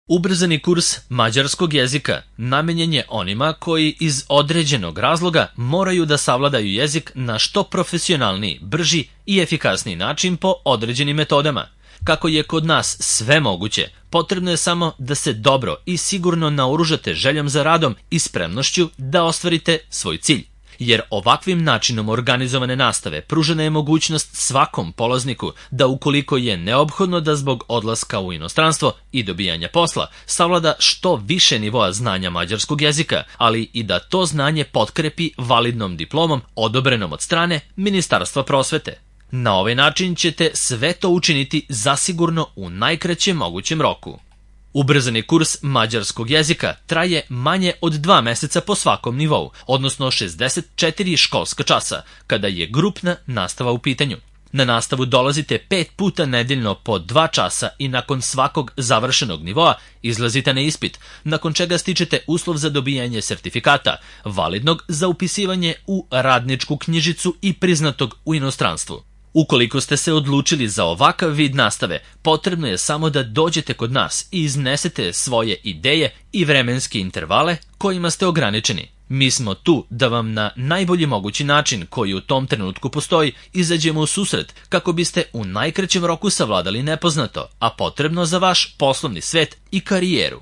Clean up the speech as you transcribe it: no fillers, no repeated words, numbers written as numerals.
Ubrzani kurs mađarskog jezika namenjen je onima koji iz određenog razloga moraju da savladaju jezik na što profesionalniji, brži i efikasniji način po određenim metodama. Kako je kod nas sve moguće, potrebno je samo da se dobro i sigurno naoružate željom za radom i spremnošću da ostvarite svoj cilj. Jer ovakvim načinom organizovane nastave pružena je mogućnost svakom polazniku da ukoliko je neophodno da zbog odlaska u inostranstvo i dobijanja posla savlada što više nivoa znanja mađarskog jezika, ali i da to znanje potkrepi validnom diplomom odobrenom od strane Ministarstva prosvete. Na ovaj način ćete sve to učiniti zasigurno u najkraćem mogućem roku. Ubrzani kurs mađarskog jezika traje manje od 2 meseca po svakom nivou, odnosno 64 školska časa, kada je grupna nastava u pitanju. Na nastavu dolazite 5 puta nedeljno po 2 časa i nakon svakog završenog nivoa izlazite na ispit, nakon čega stičete uslov za dobijanje sertifikata, validnog za upisivanje u radničku knjižicu i priznatog u inostranstvu. Ukoliko ste se odlučili za ovakav vid nastave, potrebno je samo da dođete kod nas i iznesete svoje ideje i vremenske intervale kojima ste ograničeni. Mi smo tu da vam na najbolji mogući način koji u tom trenutku postoji izađemo u susret kako biste u najkraćem roku savladali nepoznato, a potrebno za vaš poslovni svet i karijeru.